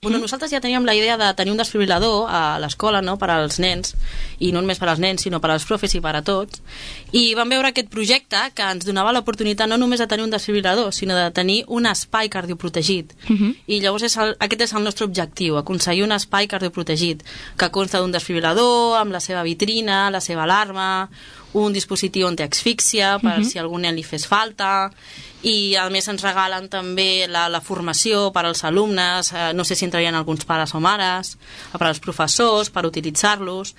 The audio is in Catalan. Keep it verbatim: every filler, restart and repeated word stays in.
Bueno, nosaltres ja teníem la idea de tenir un desfibrilador a l'escola, no?, per als nens, i no només per als nens, sinó per als profes i per a tots. I vam veure aquest projecte que ens donava l'oportunitat no només de tenir un desfibrilador, sinó de tenir un espai cardioprotegit. Uh -huh. I llavors és el, aquest és el nostre objectiu, aconseguir un espai cardioprotegit que consta d'un desfibrilador, amb la seva vitrina, la seva alarma, un dispositiu antiasfíxia per uh-huh. si a algun nen li fes falta, i a més ens regalen també la, la formació per als alumnes, eh, no sé si entrarien alguns pares o mares, per als professors, per utilitzar-los.